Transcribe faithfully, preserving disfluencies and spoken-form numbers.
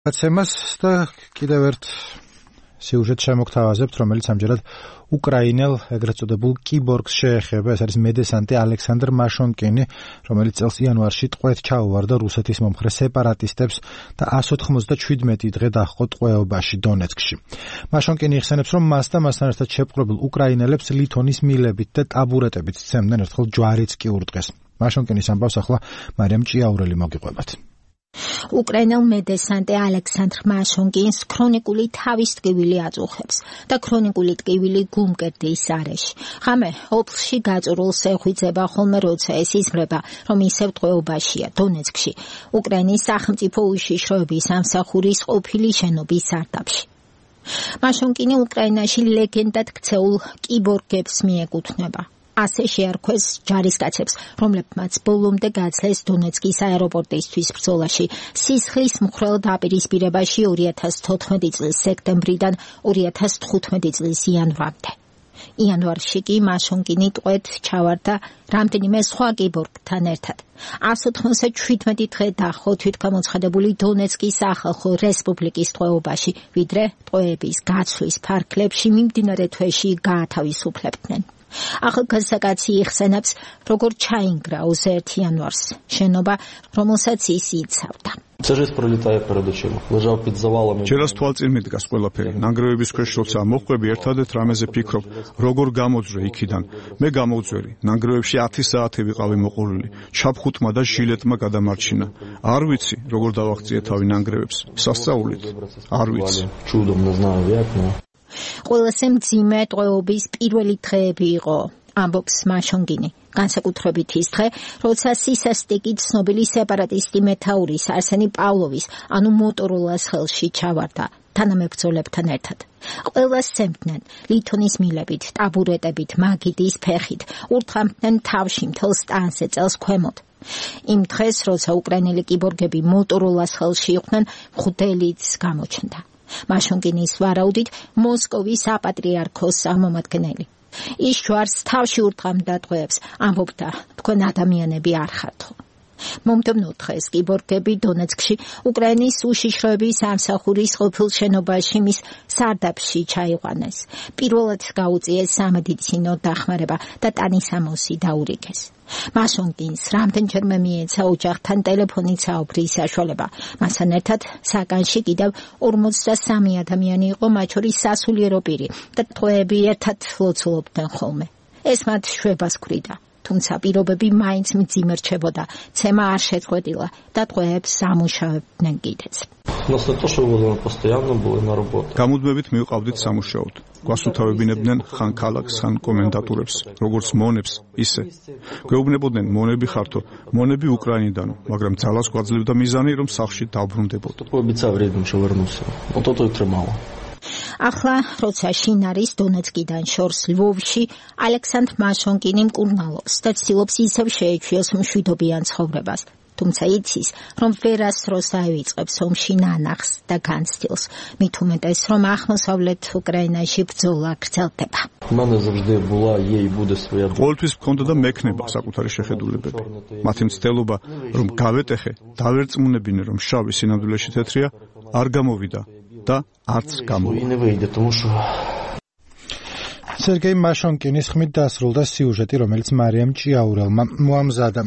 გაცემას და კიდევ ერთ სიუჟეტს შემოგთავაზებთ, რომელიც ამჯერად უკრაინელ ეგრეთ წოდებულ კიბორგს შეეხება. ეს არის მედესანტი ალექსანდრ მაშონკინი, რომელიც წელს იანვარში ტყვედ ჩაუვარდა რუსეთის მომხრე სეპარატისტებს და εκατს ოთხმოცდაშვიდმეტი დღე დაჰყო ტყვეობაში დონეცკში. მაშონკინი იხსენებს, რომ მას და მასთან ერთად შეპყრობილ უკრაინელებს ლითონის მილებით და ტაბურეტებით სცემდნენ, ერთხელ ჯვარიც კი ურტყეს. მაშონკინის ამბავს ახლა მარიამ ჭიაურელი მოგიყვებათ. უკრაინელ მედესანტე ალექსანდრ მაშონკინს ქრონიკული თავის ტკივილი აწუხებს და ქრონიკული ტკივილი გუმკერდის არეში. ღამე ოფლში გაწურულს ეხვიძება ხოლმე, როცა ეს იზმრება, რომ ისევ ტყვეობაშია დონეცკში, უკრაინის სახელმწიფო უშიშროების ამსახურის ყოფილი შენობის სარდაფში. მაშონკინი უკრაინაში ლეგენდად ქცეულ კიბორგებს მიეკუთვნება. ასე შეარქვეს ჯარისკაცებს, რომლებმაც ბოლომდე გაცლეს დონეცკის აეროპორტისთვის ბრძოლაში, სისხლის მხვრელ დაპირისპირებაში ორი ათას თოთხმეტი წლის სექტემბრიდან ორი ათას თხუთმეტი წლის იანვრამდე. იანვარში კი მაშონკინი ტყვედ ჩავარდა რამდენიმე სხვა კიბორგთან ერთად. εκατს ოთხმოცდაშვიდმეტი დღე დაჰყო თვითგამოცხადებული დონეცკის სახალხო რესპუბლიკის ტყვეობაში, ვიდრე ტყვეების გაცვლის ფარგლებში მიმდინარე თვეში გაათავისუფლებდნენ. ახალგაზრდაკაცი იხსენებს, როგორ ჩაინგრა ოცდაერთი იანვარს შენობა, რომელსაც ის იცავდა. ჯერას თვალწინ მიდგას ყველაფერი. ნანგრევების ქვეშ როცა მოხვები, ერთადერთ რამეზე ფიქრობ, როგორ გამოძვრე იქიდან. მე გამოვძვერი. ნანგრევებში ათი საათი ვიყავი მოყოლილი. ჩაფხუტმა და ჟილეტმა გადამარჩინა. არ ვიცი, როგორ დავაღწიე თავი ნანგრევებს. სასწაულით. არ ვიცი. ყველაზე მძიმე ტყვეობის პირველი დღეები იყო, ამბობს მაშონკინი. განსაკუთრებით ის დღე, როცა სისასტიკი ცნობილი სეპარატისტი მეთაურის არსენი პავლოვის, ანუ მოტოროლას ხელში ჩავარდა თანამებრძოლებთან ერთად. ყველას სცემდნენ ლითონის მილებით, ტაბურეტებით, მაგიდის ფეხით, ურთმამდნენ თავში მთელ სტანზე წელს ქვემოთ. იმ დღეს, როცა უკრაინელი კიბორგები მოტოროლას ხელში იყვნენ, მღვდელიც გამოჩნდა. მაშონკინის ვარაუდით მოსკოვის საპატრიარქოს წარმომადგენელი. ის ჯვარს თავში ურტყამდა ტყვეებს, ამბობდა, თქვენ ადამიანები არ ხართ. მომდევნო დღეს კიბორგები დონეცკში უკრაინის უშიშროების ამსახურის ყოფილ შენობაში მის სარდაფში ჩაიყვანეს. პირველად გაუწიეს სამედიცინო დახმარება და ტანისამოსი დაურიგეს. მაშონკინს რამდენჯერმე მიეცა ოჯახთან ტელეფონით საუბრის საშუალება. მასთან ერთად საკანში კიდევ ორმოცდასამი ადამიანი იყო, მათ შორის სასულიერო პირი და ტყვეები ერთად ლოცულობდნენ ხოლმე. ეს მათ შვებას ჰქრიდა. თუმცა პირობები მაინც მძიმე რჩებოდა, ცემა არ შეწყვეტილა და ტყვეებს ამუშავებდნენ კიდეც. გამუდმებით მივყავდით სამუშაოდ. გვასუთავებინებდნენ ხან ქალაქს, ხან კომენდატურებს, როგორც მონებს, ისე. გვეუბნებოდნენ, მონები ხართო, მონები უკრაინიდანო, მაგრამ ძალას გვაძლევდა მიზანი, რომ სახლში დავბრუნდებოდო. ახლა, როცა შინ არის დონეცკიდან შორს ლვოვში, ალექსანდრ მაშონკინი მკურნალობს და ცდილობს ისევ შეეჩვიოს მშვიდობიან ცხოვრებას. თუმცა იცის, რომ ვერასდროს აივიწყებს ომში ნანახს და განცდილს, მით უმეტეს, რომ აღმოსავლეთ უკრაინაში ბრძოლა გრძელდება. ყოველთვის მქონდა და მექნება საკუთარი შეხედულებები. მათი მცდელობა, რომ გავეტეხე, დავერწმუნებინე, რომ შავი სინამდვილეში თეთრია, არ გამოვიდა და არც გამოვიდა. სერგეი მაშონკინის ხმით დასრულდა სიუჟეტი, რომელიც მარიამ ჭიაურელმა მოამზადა.